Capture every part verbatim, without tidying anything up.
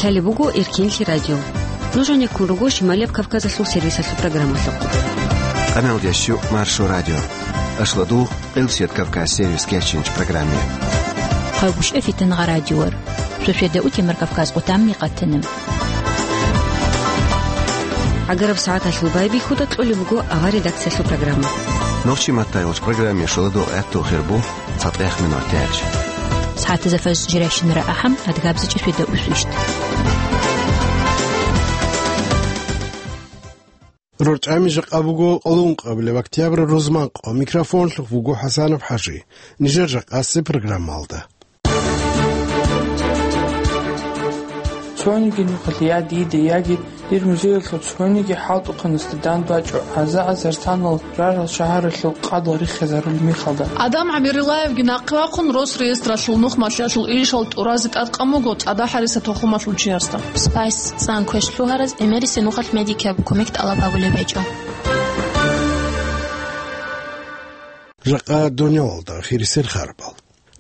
Гьале буго Эркинлъи радио. Нуж гьанеккун руго Шималияб Кавказалъул сервисалъул программалъухъ. Къаналдеш щу Маршо радио. Ашладу Къилсият Кавказ сервис кечинч программе. Хъалгушев Фитангъа радиор. Шошеда утемар Кавказ къутамни къатана. Агараб сагӀаталъул байбихьуда кьолеб буго авар редакциялъул программа. Нохчи маттайилч программе шоладу гӀатту хирбу. ЦатӀех минутач. СагӀатазда фаз жирайщинара ахӀам, адгабзичӀеб шведа усвищ. РорчӀами жакъа буго къоло ункъабилеб октябрь рузманкъо. Микрофонлъухъ вуго ХӀасанов ХӀажи. Нижер жакъасеб программалда. Цониги нухалъ я дида, яги дир музеялъул цониги хӀалтӀухъанасда данбачӀо гӀаза-гӀазар санал рарал шагьаралъул къадал риххизарулеб мехалда. Адам ГӀабирилаевги нахъе вахъун Росреестралъул нухмалъиялъул ишал тӀуразе тӀадкъан буго цӀадахӀ гьариса тухумалъул чиясда. Спайс цӀан квеш лъугьараз гӀемерисеб нухалъ медикияб кумек тӀалаб гьабулеб гьечӀо. Жакъа дунялалда хирисел харбал.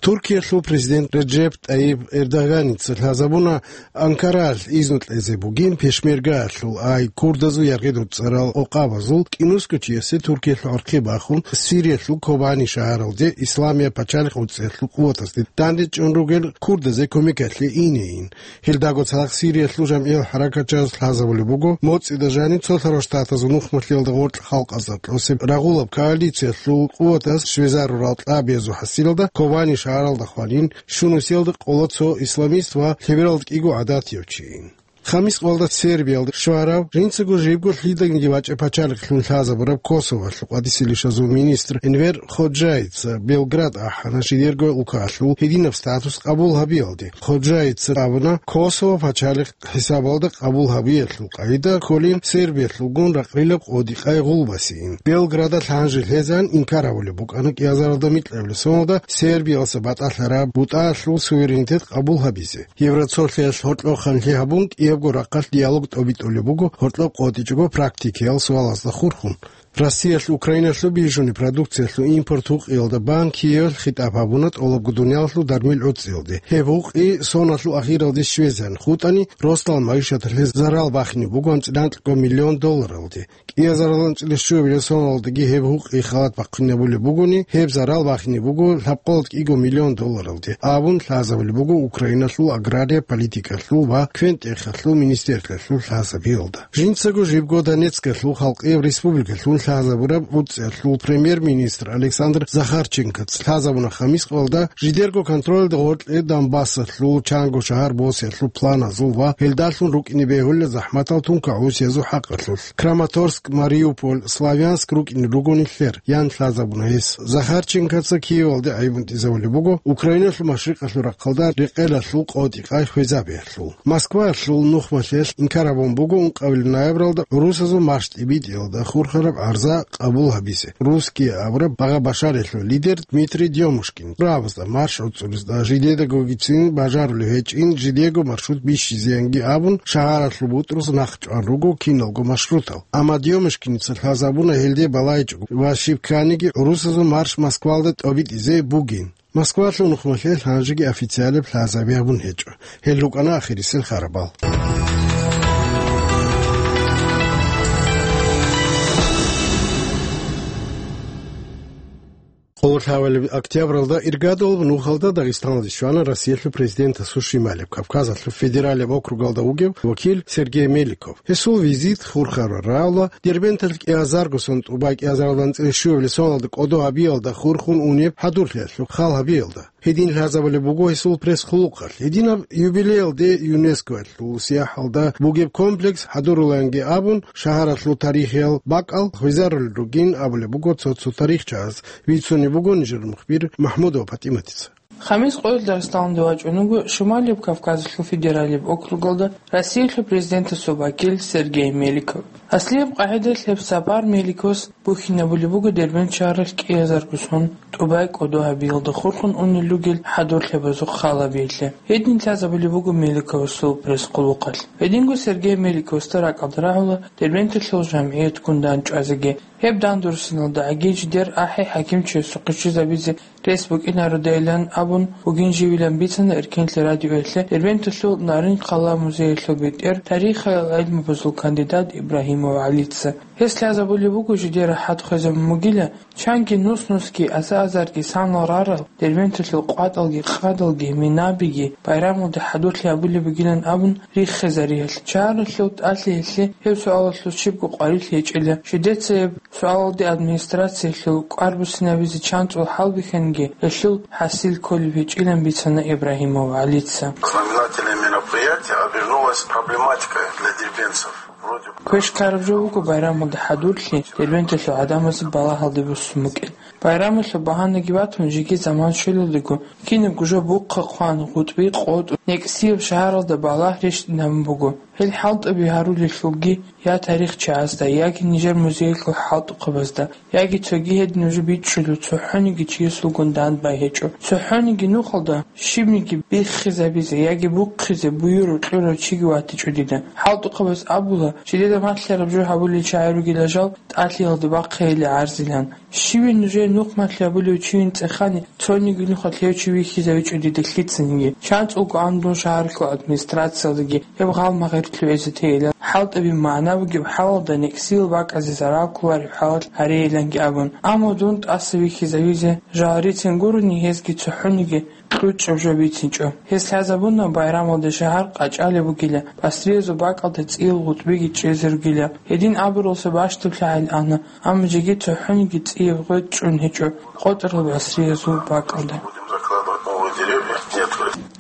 Туркиялъул президент Реджеп ТӀайиб Эрдоганица лъазабуна Анкаралъ изну кьезе бугин пешмергаялъул, ай курдазул яргъи дуцӀарал къокъабазул кӀинусго чиясе Туркиялъул гӀорхъи бахун, Сириялъул Кобани шагьаралде Исламияб пачалихъ уцӀиялъул къуватазде дандечӀун ругел курдазе кумекалъе инейин. Гьелдаго цадахъ Сириялъул жамгӀиял хӀаракатчияз лъазабулеб буго, моцӀида жаниб Цолъарал Штатазул нухмалъиялда гъоркь халкъазда тӀосеб рагъулаб коалициялъул къуватаз щвезарурал кьабиязул хӀасилалда Кобани шагьаралда хванин, щунусиялда къола цо исламист ва лъебералда кӀиго гӀадатияв чийин. Хамис къоялда Сербиялда щварав, жинцаго жибго лъиданиги вачӀа пачалихълъун лъазабураб Косоволъул къватӀиселищазул министр Энвер Ходжаица Белград ахӀана жидерго улкалъул гьединаб статус къабул гьабиялде. Ходжаица абуна, Косово пачалихъ хӀисабалда къабул гьабиялъул къагӀида кколин Сербиялъулгун ракълилаб къодикъай гъулбасейин. Белграда лъанжи лъезан инкар гьабулеб букӀана кӀиазаралда микьабилеб соналда Сербиялъа батӀалъараб бутӀаялъул суверенитет къабул гьабизе. Евроцолъиялъ гьоркьоб ханлъи гьабун, кӀиябго рахъалъ диалог тӀобитӀулеб буго гьоркьоб къотӀичӀого практикиял суалазда хурхун. Россиялъ Украиналъул бижуни продукциялъул импорт гьукъиялда Бан Киевалъ хитӀаб гьабуна тӀолабго дуниялалъул дармил гӀуцӀиялде. Гьеб гьукъи соналъул ахиралде щвезегӀан хутӀани, росдал магӀишаталъе зарал бахине буго анцӀила анкьго миллион долларалде. КӀиазарал анцӀила щуабилеб соналдаги гьеб гьукъи халат бахъинабулеб бугони, гьеб зарал бахине буго лъабкъоялда кӀиго миллион долларалде, абун лъазабулеб буго Украиналъул агрария политикалъул ва квен-тӀехалъул министерствоялъул лъазабиялда. Жинцаго жибго Донецкалъул халкъияб республикалъун лъазабураб гӀуцӀиялъул премьер-министр Александр Захарченкоца лъазабуна Хамис къоялда жидерго контролалда гъоркье Донбассалъул чанго шагьар босиялъул планазул ва гьелдалъун рукӀине бегьулел захӀматал тункагӀусиязул хӀакъалъулъ. Краматорск, Мариуполь, Славянск рукӀине ругони лъер, ян лъазабуна гьес. Захарченкоца Киевалде гӀайибун тӀизабулеб буго Украиналъул машрикъалъул рахъалда рекъелалъул къотӀикъай хвезабиялъул. Москваялъул нухмалъиялъ инкар гьабун буго ункъабилеб ноябралда гӀурусазул марш тӀибитӀиялда хурхараб гӀарза къабул гьабизе. Русские абураб багъа-башариялъул лидер Дмитрий Дёмушкин правозда марш гӀуцӀулезда жидедагогицин бажарулев гьечӀин, жидего маршрут бищизеянги абун, шагьаралъул бутӀрус нахъчӀван руго киналго маршрутал. Амма Дёмушкиница лъазабуна гьелде балайчӀого ва щиб кканиги гӀурусазул марш Москвалда тӀобитӀизе бугин. Москвалъул нухмалъе лъанжиги официалаб лъазаби гьабун гьечӀо. Гьел рукӀана ахирисел харабал. Къоло лъабабилеб октябралда иргадулаб нухалда Дагъистаналде щвана Россиялъул президентасул шималаб Кавказалъул федералияб округалда вугев вакил Сергей Меликов. Гьесул визит хурхараб рагӀула Дербенталъ кӀиазарго сон тӀубай кӀиазаралда анцӀила щуабилеб соналда кӀодо гьабиялда хурхун унеб хӀадурлъиялъул хал гьабиялда. Гьедин лъазабулеб буго гьесул пресс-хъулухъалъ. Гьединаб юбилеялде ЮНЕСКОялъул сияхӀалда бугеб комплекс хӀадурулаянги абун, шагьаралъул тарихиял бакӀал хвезарулел ругин абулеб буго цо-цо тарихчияз. Бицунеб буго нижер мухбир Махмудова ПатӀиматица. Хамис къоялъ Дагъистаналде вачӀун вуго Шималияб Кавказалъул федералияб округалда Россиялъул президентасул вакил Сергей Меликов. Аслияб къагӀидаялъ гьеб сапар Меликовас бухьинабулеб буго Дербент шагьаралъ кӀиазарго сон тӀубай кӀодо гьабиялда хурхун унел ругел хӀадурлъабазухъ хал гьабиялъе. Гьедин лъазабулеб буго Меликовасул пресс-хъулухъалъ. Гьединго Сергей Меликовасда ракӀалда рагӀула Дербенталъул жамгӀиятгун дандчӀвазеги. Гьеб дандурсиналда гӀагиджидер ахӀи хӀакимчиясухъе щвезабизе рес букӀинародайилан абун бугин живилан бицана Эркенлъи радиоялъе Дербенталъул Нарин-Хъала музеялъул бетӀер, тарихалъул гӀилмабазул кандидат Ибрагьимов ГӀалица. Гьес лъазабулеб буго жидер рахӀат хвезабун бугила, чанги нус-нусги, аза-азарги санал рарал, Дербенталъул къватӀалги къадалги, минабиги байрамалде хӀадурлъи гьабулеб бугилан абун риххизариялъ, шагьаралъул тӀалъиялъе гьеб суалалъул щибго къварилъи гьечӀила, жидеца гьеб суалалде администрациялъул кӀвар буссинабизе чанцӀул хӀалбихьаниги, гьелъул хӀасил кколеб гьечӀилан бицана Ибрагьимов ГӀалица. Знаменательное мероприятие обернулось проблематикой для дербентцев. Вроде бы Квеш ккараб жо буго байрамалда хӀадурлъи Дербенталъул гӀадамазе балагьалде буссун букӀин. Байрамалъул багьанаги батун, жеги заман щвелалдего, кинабго жо бухъа хъван, гъутӀби къотӀун, некӀсияб шагьаралда балагь рещтӀинабун буго. Гьел хӀалтӀаби гьарулелъулги я тарихчиясда, яги нижер музеялъул хӀалтӀухъабазда, яги цоги гьедин нуж бичӀчӀулев цохӀониги чиясулгун дандбай гьечӀо. ЦохӀониги нухалда щибниги биххизабизе яги бухъизе буюрав-кьурав чиги ватичӀо дида. ХӀалтӀухъабаз абула, жидеда малъараб жо гьабулел чагӀи ругила жал, тӀалъиялда бахъейилан гӀарзилан. Щивин нужее нухмалъи гьабулев чийин цӀехани, цониги нухалъ гьев чи вихьизавичӀо дида лъицаниги. ЧанцӀулго ан дун шагьаралъул администрациялдаги гьеб гъал-магъирлъи гӀезетейилан, хӀалтӀаби магӀна бугеб хӀалалда некӀсиял бакӀазе зарал кколареб хӀалалъ гьарейиланги абун. Амма дун тӀаса вихьизавизе жал рицин гурони, гьезги цохӀониги кьучӀаб жо бицинчӀо. Гьес лъазабуна, байрамалде шагьар къачӀалеб бугила, басриязул бакӀалда цӀиял гъутӀбиги чӀезе ругила. Гьедин абуралса бащдаб лъагӀел ана, амма жеги цохӀониги цӀияб гъветӀ чӀун гьечӀо къотӀарал басриязул бакӀалда.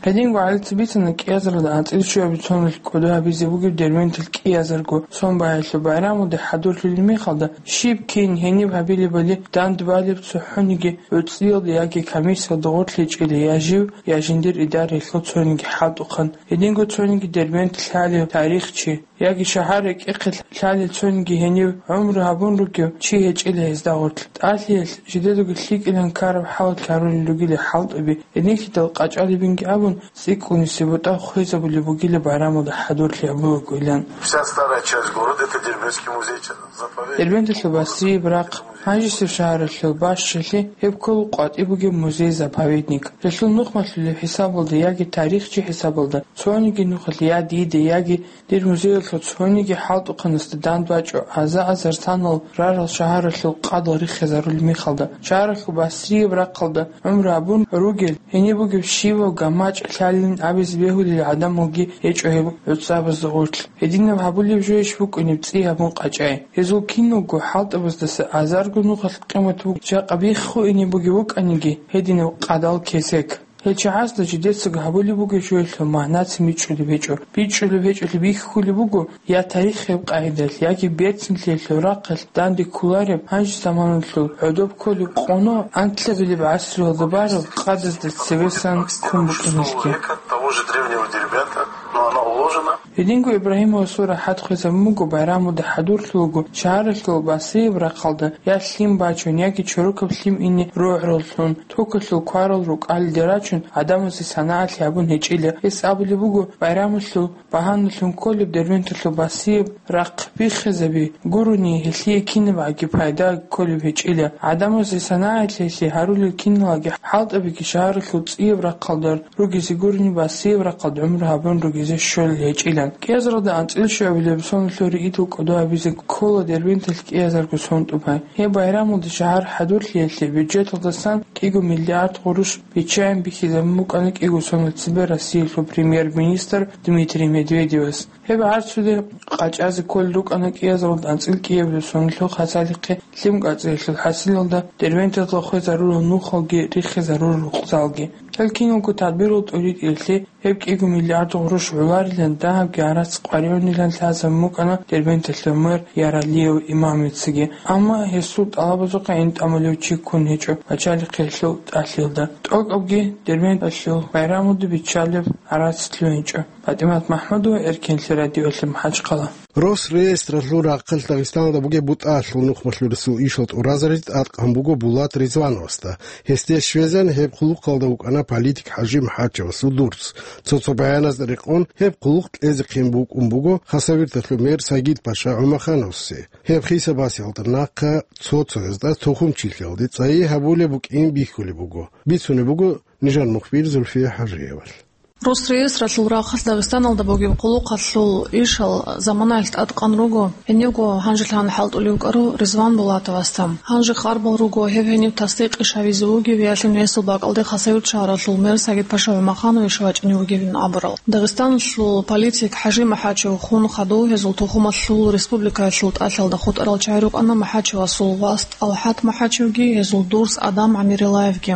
Гьединго ГӀалица бицана кӀиазаралда анцӀила щуабилеб соналъ кӀодо гьабизе бугеб Дербенталъ кӀиазарго сон багьаялъул байрамалде хӀадурлъулеб мехалда, щиб кин гьениб гьабилебали дандбалеб цохӀониги гӀуцӀиялда яги комиссиялда гъорлъ гьечӀила я жив, я жиндир идараялъул цониги хӀалтӀухъан. Гьединго цониги Дербент лъалев тарихчи, яги шагьар рекӀехъе лъалел цониги гьенив гӀумру гьабун ругев чи гьечӀила гьезда гъорлъ. ТӀалъиялъ жидедаго лъикӀилан ккараб хӀалалъ гьарулел ругила хӀалтӀаби, гьенихьидал къачӀалебинги абун, цӀикӀкӀунисеб бутӀа хвезабулеб бугила байрамалда хӀадурлъи гьабулагоилан. Вся старая часть города — это Дербентский музей, заповедник. Дербенталъул Басрияб рахъ, гьанжесеб шагьаралъул бащалъи, гьеб ккола къватӀиб бугеб музей-заповедник. Гьелъул нухмалъулеб хӀисабалда яги тарихчи хӀисабалда цониги нухалъ я дида, яги дир музеялъул цониги хӀалтӀухъанасда дандбачӀо аза-азар санал рарал шагьаралъул къадал риххизарулеб мехалда, шагьаралъул Басрияб рахъалда гӀумру гьабун ругел, гьениб бугеб щивав гамачӀ лъалилин абизе бегьулел гӀадамалги гьечӀо гьеб гӀуцӀабазда гъорлъ. Гьединаб гьабулеб жойищ букӀунеб цӀи гьабун къачӀай. Гьезул киналго хӀалтӀабаздаса азарго нухалъ къимат бугеб жакъа биххуине бугеб букӀаниги, гьединаб къадал кесек. Гьел чагӀазда жидецаго гьабулеб бугеб жоялъул магӀнацин бичӀчӀулеб гьечӀо. БичӀчӀулеб гьечӀолъи бихьулеб буго я тарихияб къагӀидалъ, яги берцинлъиялъул рахъалъ данде кколареб гьанже заманалъул гӀодоб кколеб къоно анлъабилеб гӀасруялда бараб къадазда цевесан ккун букӀинелъги. Того же древнего Дербента, но она уложена. Гьединго Ибрагьимовасул рахӀат хвезабун буго байрамалда хӀадурлъулаго шагьаралъул Басрияб рахъалда я лъим бачун, яги чорокаб лъим ине рогӀраллъун, токалъул кварал рукӀалде рачун, гӀадамазе санагӀатлъи гьабун гьечӀила. Гьес абулеб буго, байрамалъул багьаналъун кколеб Дербенталъул Басрияб рахъ биххизаби гурони, гьелъие кинабгӀаги пайда кколеб гьечӀила. ГӀадамазе санагӀатлъи гьарулел киналги хӀалтӀабиги шагьаралъул цӀияб рахъалда ругезе гурони, Басрияб рахъалда гӀумру гьабун ругезе щолел гьечӀилан. КӀиазаралда анцӀила щуабилеб соналъул ригӀидал кӀодо гьабизе ккола Дербенталъ кӀиазарго сон тӀубай. Гьеб байрамалда шагьар хӀадурлъиялъе бюджеталдасан кӀиго миллиард гъурущ биччаяб бихьизабун букӀана кӀиго сонал цебе Россиялъул премьер-министр Дмитрий Медведевас. Гьеб гӀарцуде къачӀазе кколел рукӀана кӀиазаралда анцӀила кӀиабилеб соналъул хасалихъе лъим кӀацӀиялъул хӀасилалда Дербенталда хвезарурал нухалги риххизарурал рукъзалги. Гьел киналго тадбирал тӀуритӀиялъе гьеб кӀиго миллиард гъурущ гӀоларилан дагьабги гӀарац къваригӀунилан лъазабун букӀана Дербенталъул мэр Яралиев Имамицаги. Амма гьесул тӀалабазухъе гӀин тӀамулев чи ккун гьечӀо пачалихъиялъул тӀалъиялда. ТӀокӀабги Дербенталъул байрамалда биччалеб гӀарац лъугьинчӀо. ПатӀимат МахӀмудова, Эркенлъи радиоялъе, МахӀачхъала. Росреестралъул рахъалъ Дагъистаналда бугеб бутӀаялъул нухмалъурасул ишал тӀуразаризе тӀадкъан буго Булат Ризвановасда. Гьесде щвезан гьеб хъулухъалда вукӀана политик ХӀажи МухӀачевасул дурц. Цо-цо баяназда рекъон, гьеб хъулухъ кьезехъин букӀун буго Хасавюрталъул мэр Сагид-паша ГӀумахановасе. Гьеб хисабасиялда нахъа цо-цоязда тухумчилъиялде цӀайи гьабулеб букӀин бихьулеб буго. Бицунеб буго нижер мухбир Зульфия ХӀажиевалъ. Росреестралъул рахъалъ Дагъистаналда бугеб хъулухъалъул ишал заманаялъ тӀадкъан руго гьенивго гьанжелъан хӀалтӀулев вукӀарав Ризван Булатовасда. Гьанже хъарбал руго гьеб гьенив тасдикъ иш гьавизе вугев, ялъун гьесул бакӀалде Хасавюрт шагьаралъул мэр Сагид-паша ГӀумаханович вачӀине вугевин абурал. Дагъистаналъул политик ХӀажи МухӀачев хун хадув гьезул тухумалъул республикаялъул тӀалъалда хутӀарал чагӀи рукӀана МухӀачевасул вас ТӀалхӀат МухӀачевги, гьезул дурс Адам ГӀамирилаевги.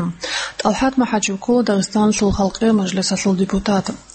ТӀалхӀат МухӀачев ккола Дагъистаналъул Халкъиял Мажлисалъул депутат.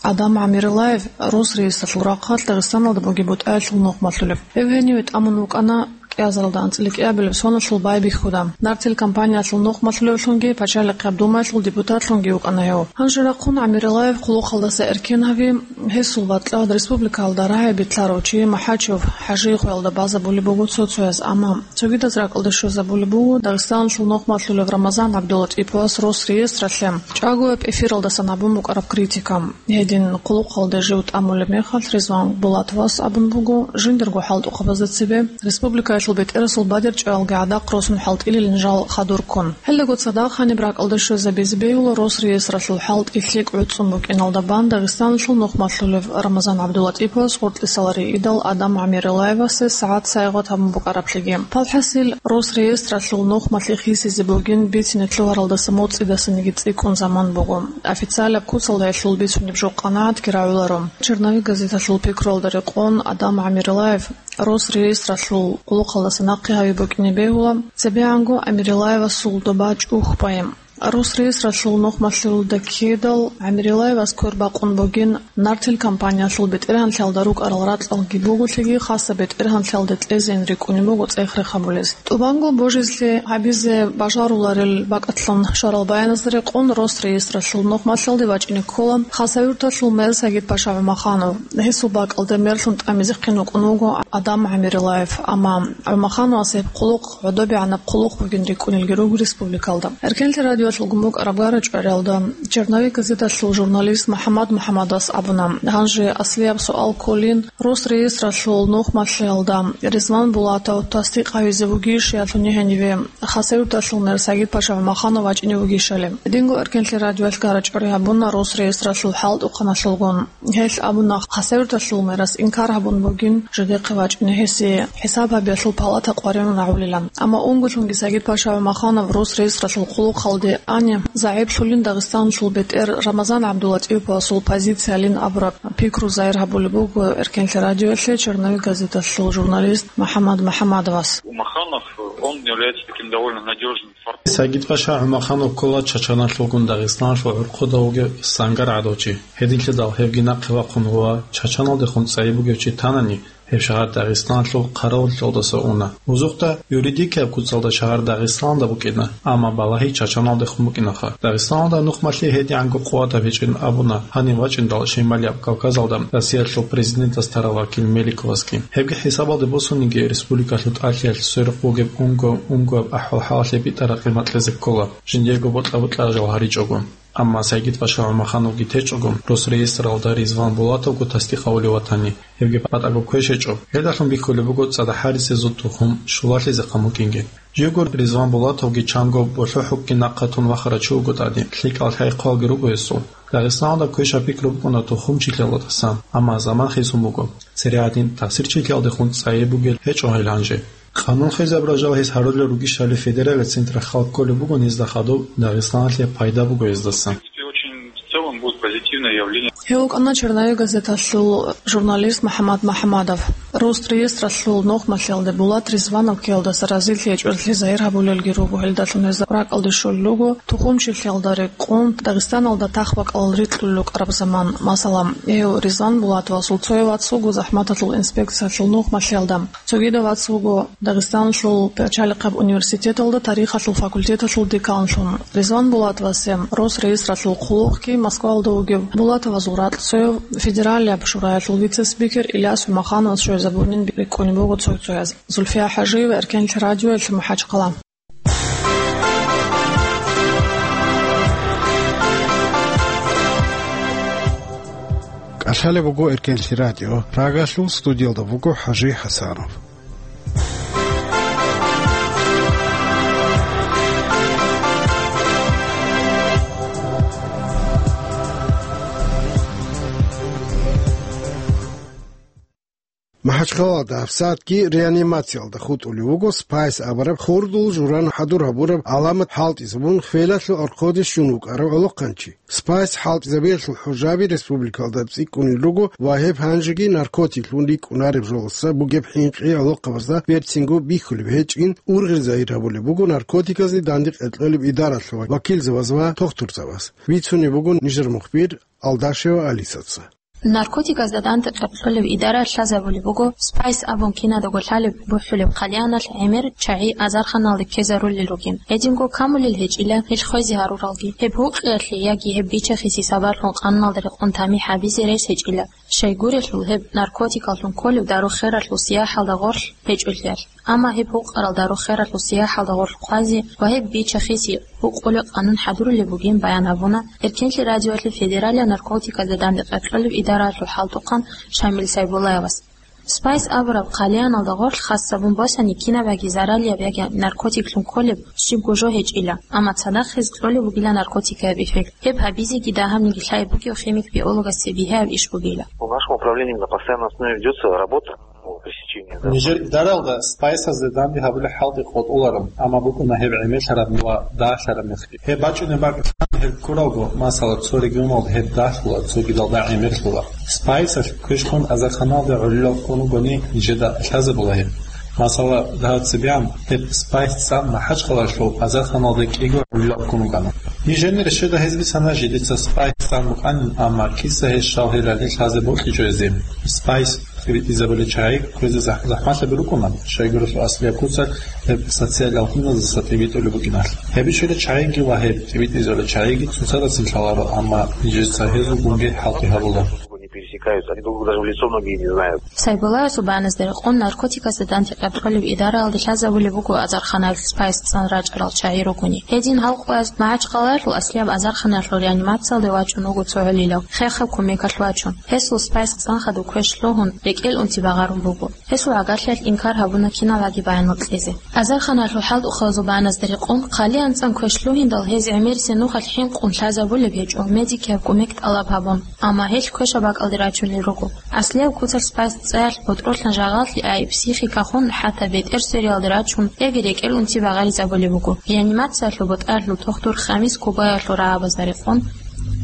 Адам ГӀамирилаев Росреестралъул рахъалъ Дагъистаналда бугеб бутӀаялъул нухмалъулев. Гьев гьениве тӀамун вукӀана кӀиазаралда анцӀила кӀиабилеб соналъул байбихьуда. Нартил компаниялъул нухмалъулевлъунги, пачалихъаб думаялъул депутатлъунги вукӀана гьев. Гьанже рахъун ГӀамирилаев хъулухъалдаса эркен гьави, гьесул батӀлад республикаялда рагӀи битлъарав чи МухӀачев ХӀажи хвелда базабулеб буго цо-цояз, амма цогидаз ракӀалде щвезабулеб буго Дагъистаналъул нухмалъулев Рамазан ГӀабдулатӀиповас Росреестралъе чӀагояб эфиралдасан гьабун букӀараб критика. Гьедин хъулухъалде жив тӀамулеб мехалъ, Ризван Булатовас абун буго, жиндирго хӀалтӀухъабазда цебе республикаялъул бетӀерасул бадерчӀваялги гӀадахъ росун хӀалтӀилилин жал хадур ккун. Гьелдаго цадахъ гьаниб ракӀалде щвезабизе бегьула Росреестралъул хӀалтӀи лъикӀ гӀуцӀцӀун букӀиналда бан Дагъистаналъул нухмалъулев Рамазан ГӀабдулатӀиповас гъоркьисаларе идал Адам ГӀамирилаевасе сагӀат-сайгъат гьабун букӀараблъиги. Палхасил Росреестралъул нухмалъи хисизе бугин бицине лъугьаралдаса моцӀидасаниги цӀикӀкӀун заман буго. Официалаб куцалда гьелъул бицунеб жо къанагӀатги рагӀуларо. Черновик газеталъул пикруялда рекъон Адам ГӀамирилаев Росреестралъул хъулухъалдаса нахъе гьави букӀине бегьула, цебегӀанго ГӀамирилаевасул доба чӀухӀ бай. Росреестралъул нухмалъулда ккедал ГӀамирилаевас квер бакъун бугин, нартил компаниялъул бетӀергьанлъиялда рукӀарал ракьалги бугелъиги, хасаб бетӀергьанлъиялде кьезейин рикӀкӀунеб буго цӀех-рех гьабулес. ТӀубанго божизлъи гьабизе бажаруларел бакӀалъун щварал баяназда рекъон, Росреестралъул нухмалъалде вачӀине ккола Хасавюрталъул мэр Сагид-паша ГӀумаханов. Гьесул бакӀалде мерлъун тӀамизехъин вукӀун вуго Адам ГӀамирилаев, амма ГӀумахановас гьеб хъулухъ гӀодобегӀанаб хъулухъ бугин рикӀкӀунелги руго республикалда. Эркенлъи радиоялъулгун букӀараб гара-чӀвариялда Черновик газеталъул журналист МухӀаммад МухӀаммадас абуна, гьанже аслияб суал кколин, Росреестралъул нухмалъиялда Ризван Булатов тасдикъ гьавизе вугищ, ялъуни гьениве Хасавюрталъул мэр Сагид-паша ГӀумаханов вачӀине вугищали. Динго Эркенлъи радиоялъ гара-чӀвари гьабуна Росреестралъул хӀалтӀухъаналъулгун. Гьел абуна, Хасавюрталъул мерас инкар гьабун бугин, жидехъе вачӀине гьесие хӀисаб гьабиялъул палата къваригӀун рагӀулилан. Амма унголъунги Сагид-паша ГӀумаханов Росреестралъул хъулухъалде ани, загӀиплъулин Дагъистаналъул бетӀер Рамазан ГӀабдулатӀиповасул позициялин абураб пикру загьир гьабулеб буго Эркенлъи радиоялъе Черновик газеталъул журналист МухӀаммад МухӀаммадовас. Умаханов, он является таким довольно надёжным Сагид-паша ГӀумаханов ккола Чачаналъулгун Дагъистаналъул гӀурхъуда вугев сангар гӀадав чи. Гьединлъидал гьевги нахъе вахъун ва Чачаналдехун цӀайи бугев чи танани, гьев шагьар Дагъистаналъул хъаравуллъиялдаса уна. Узухъда юридикияб куцалда шагьар Дагъистаналда букӀина, амма балагьи Чачаналдехун букӀинаха. Дагъистаналда нухмалъи гьедигӀанго къуватаб гьечӀин абуна гьанив вачӀиндал Шималияб Кавказалда Россиялъул президентас тарал вакил Меликовасги. Гьебги хӀисабалде босуниги, республикалъул тӀалъиялъ сверухъ бугеб унго-унгояб ахӀвал-хӀалалъе битӀараб къимат кьезе ккола, жиндиего бокьа-бокьараб жал гьаричӀого. Амма Сагид-паша ГӀумахановги течӀого, Росреестралда Ризван Булатовго тасдикъ гьавулев ватани, гьебги батӀаго квеш гьечӀо. Гьелдалъун бихьулеб буго цӀадахъ гьаризе зуд тухум щулалъизехъан букӀинги. Живго Ризван Булатовги чанго болъохӀукги нахъа тун вахарав чи вуго тӀаде, лъикӀал хӀай-хъвалги руго гьесул. Дагъистаналда квешаб пикру букӀуна тухумчилъиялдасан, амма заман хисун буго. Цере гьадин тахсирчилъиялдехун цӀайи бугел гьечӀо гьел гьанже. Къанун хвезабурал жал гьес гьарулел ругищали федералияб центр хал кколеб буго низда хадуб, Дагъистаналъе пайда буго гьездасан. В принципе, очень в целом будет позитивное явление. Гьев вукӀана Черновик газеталъул журналист МухӀаммад МухӀаммадов. Росреестралъул нухмалъиялде Булат Ризванов ккеялдаса разилъи гьечӀолъи загьир гьабулелги руго, гьелдалъун гьезда ракӀалде щолел руго тухумчилъиялда рекъон Дагъистаналда тахбакӀал рикьулел рукӀараб заман. Масала, гьев Ризван Булатовасул цояв вац вуго захӀматалъул инспекциялъул нухмалъиялда, цогидав вац вуго Дагъистаналъул пачалихъаб университеталда тарихалъул факультеталъул деканлъун. Ризван Булатовасе Росреестралъул хъулухъги Москвалда вугев Булатовазул ракь цояв федералияб шураялъул вице-спикер Ильяс ГӀумахановас щвезе Забунин бикӀкӀунеб буго цо-цояз. Зульфия ХӀажиева, Эркенлъи радиоялъ, МахӀачхъала. КӀалъалеб буго Эркенлъи радио. Прагалъул студиялда буго ХӀажи ХӀасанов. МахӀачхъалада гьабсагӀатги реанимациялда хутӀулев вуго Спайс абураб хурдул журан хӀадур гьабураб гӀаламат хӀалтӀизабун хвелалъул архъоде щун вукӀарав гӀолохъанчи. Спайс хӀалтӀизабиялъул хӀужаби республикалда цӀикӀкӀунел руго ва гьеб гьанжеги наркотиклъун рикӀкӀунареб жолоса бугеб хӀинкъи гӀолохъабазда берцинго бихьулеб гьечӀин, ургъел загьир гьабулеб буго наркотиказде данде кьекьолеб идаралъул вакилзабаз ва тухтурзабаз. Бицунеб буго нижер мухбир Алдашева Алисаца. Наркотиказда данде кьекьолеб идара лъазабулеб буго Спайс абун кинадаго лъалеб бухӀулеб хъалияналъ гӀемер чагӀи азарханалде ккезарулел ругин. Гьединго камулел гьечӀила гьел хвезе гьаруралги. Гьеб гьукъиялъе яги гьеб бичахиси сабаблъун къануналда рекъон тамихӀ гьабизе рес гьечӀила, щайгурелъул гьеб наркотикаллъун кколеб дару-хералъул сияхӀалда гъорлъ гьечӀолъиялъ. Амма гьеб гьукъарал дару-хералъул сияхӀалда гъорлъ хъвазе ва гьеб бичахиси гьукъулеб къанун хӀадурулеб бугин баян гьабуна Эркенлъи радиоялъе федералияб наркотиказда данде кьекьолеб идаралъул хӀалтӀухъан Шамил Сайбуллаевас. Спайс абураб хъалияналда гъорлъ хас гьабун босани кинабаги заралияб яги наркотиклъун кколеб щибго жо гьечӀила, амма цадахъ гьез кьолеб бугила наркотикаяб эффект. Гьеб гьабизеги дагьабниги лъай бугев химик-биологасде бигьаяб иш бугила. В нашем управлении на постоянной основе ведётся работа по пресечению, да. Нижер идаралда спайсазде данде гьабулеб хӀалтӀи къотӀуларо, амма букӀуна гьеб гӀемерлъараб ва дагьлъараб мехги. Гьеб бачӀунеб бакӀ гьеб ккуралго, масала, цо регионалда гьеб дагьлъула, цогидалда гӀемерлъула. Спайсалъ квешлъун азарханалде гӀолилал ккун вугони, нижеда лъазабула гьеб. Масала, дагьаб цебегӀан гьеб спайс цӀан МахӀачхъалалъул азарханалде кӀиго гӀолилал ккун вугана. Нижер нерщеда гьез бицана жидеца спайс цӀан букӀанин, амма киса гьез щал гьел ралли лъазе бокьичӀо гьезие. Спайс тӀибитӀизабулел чагӀи кквезе захӀ-, захӀмалъаби рукӀуна, щайгурелъул аслияб куцалъ гьеб социалияб гьуналдаса тӀибитӀулеб букӀиналъ. Гьеб ишила чагӀиги ва гьеб тӀибитӀизабулел чагӀиги цоцазда цин лъаларо, амма нижеца гьезулгунги хӀалтӀи гьабула. Не пересекаются, они друг друга даже в лицо многие не знают. Сайбуллаевасул баяназда рекъон, наркотикасда данде кьекьолеб идараялде лъазабулеб буго азарханалъ спайс цӀан рачӀарал чагӀи ругони. Гьедин гьал къоялъ МахӀачхъалаялъул аслияб азарханалъул реанимациялде вачӀун вуго цо гӀолилав, хехаб кумекалъ вачун. Гьесул спайс цӀан хадуб квеш лъугьун, рекӀел унти багъарун буго. Гьесул гӀагарлъиялъ инкар гьабуна кинабаги баянал кьезе. Азарханалъул хӀалтӀухъабазул баяназда рекъон, хъалиян цӀан квеш лъугьиндал гьез гӀемерисеб нухалъ хӀинкъун лъазабулеб гьечӀо, медикияб кумек тӀалаб гьабун, амма гьел квешаб бакӀалде рачунел руго. Аслияб куцалъ спайс цӀаялъ ботӀролъан жагъаллъи ай, психикахун, хӀатта бетӀер свериялде рачун, яги рекӀел унти багъаризабулеб буго. Реанимациялъул ботӀаралъул тухтур Хамис Кубаевалъул рагӀабазда рекъон,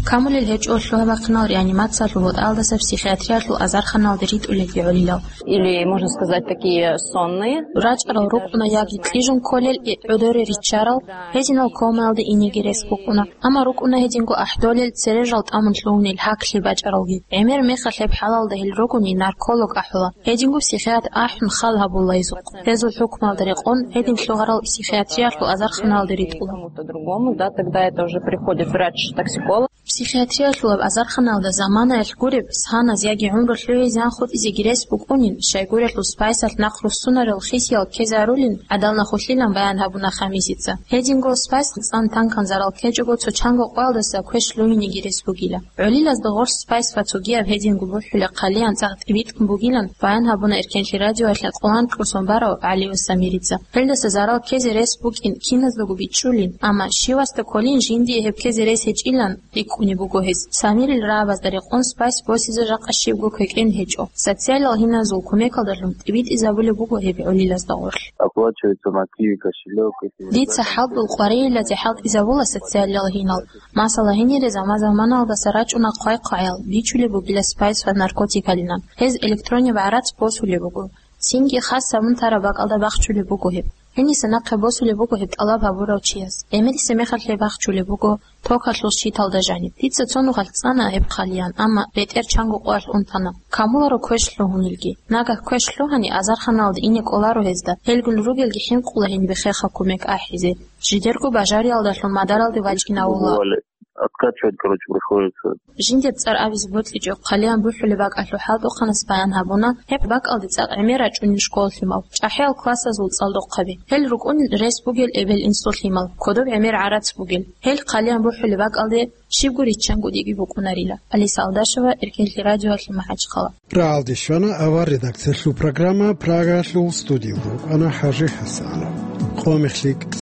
камулел гьечӀо лъугьа-бахъинал реанимациялъул ботӀаралдаса психиатриялъул азарханалде ритӀулелги гӀолилал. Или, можно сказать, такие сонные. РачӀарал рукӀуна яги кьижун кколел, гӀодоре риччарал, гьединал комаялде инеги рес букӀуна. Амма рукӀуна гьединго ахӀдолел, цережал тӀамун лъугьунел, гьаклъи бачӀаралги. ГӀемер мехалъ гьеб хӀалалда гьел ругони нарколог ахӀула. Гьединго психиатр ахӀун хал гьабула гьезухъ. Гьезул хӀукмалда рекъон гьедин лъугьарал психиатриялъул азарханалде ритӀула. Кому-то другому, да, тогда это уже приходит врач-токсиколог. Психиатриялъулаб азарханалда заманаялъ гуреб, сгьаназ яги гӀумру лъугӀизе анхъутӀизеги рес букӀунин, щайгурелъул спайсалъ нахъ руссунарел хисиял ккезарулин гӀадал нахулъилан баян гьабуна Хамисица. Гьединго спайс цӀан танкан зарал ккечӀого цо чанго къоялдаса квеш лугьинеги рес бугила. ГӀолилазда гъорлъ спайс ва цогияб гьединго бухӀула хъалиян цӀакъ тӀибитӀун бугилан баян гьабуна Эркенлъи радиоялъе къолан кьурсон барав ГӀалиев Самирица. Гьелдаса зарал ккезе рес букӀин киназдаго бичӀчӀулин, амма щивасда кколин жиндие гьеб ккезе рес гьечӀилан рикӀкӀунеб буго гьес. Самирил рагӀабазда рекъон спайс босизе жакъа щибго квекӀен гьечӀо. Социалал гьиназул кумекалдалъун тӀибитӀизабулеб буго гьеб гӀолилазда гъорлъ. Оплачивается на Киви кошелек, если не... Дица хӀалтӀул къварилъазе хӀалтӀизабула социалал гьинал. Масала, гьенире заман-заманалдаса рачӀуна хъвай-хъваял, бичулеб бугила спайс ва наркотикалилан. Гьез электронный гӀарац босулеб буго. Цинги хас гьабун тараб бакӀалда бахчулеб буго гьеб. Гьениса нахъе босулеб буго гьеб тӀалаб гьабурав чияс. ГӀемерисеб мехалъ гьеб бахчулеб буго токалъул щиталда жаниб. Дица цо нухалъ цӀана гьеб хъалиян, амма бетӀер чанго къоялъ унтана. Камуларо квеш лъугьунелги. Нагагь квеш лъугьани, азарханалде ине кӀоларо гьезда, гьелгун ругелги хӀинкъула гьениб хехаб кумек ахӀизе. Жидерго бажариялдалъун мадаралде вачӀинавула. откачивать, короче, приходится. Жиндир цӀар абизе бокьичӀеб хъалиян бухӀулеб бакӀалъул хӀалтӀухъанас баян гьабуна, гьеб бакӀалде цӀакъ гӀемер рачӀунел школалъимал, чӀахӀиял классазул цӀалдохъаби. Гьел рукӀунел рес бугел эбел-инсулъимал, кодоб гӀемер гӀарац бугел. Гьел хъалиян бухӀулеб бакӀалде щибго риччанго диги букӀунарила. Алиса Алдашева, Эркенлъи радиоялъе, МахӀачхъала. РагӀалде щвана авар редакциялъул программа, Прагаялъул студиялда рукӀана ХӀажи ХӀасанов. Къо мехлъи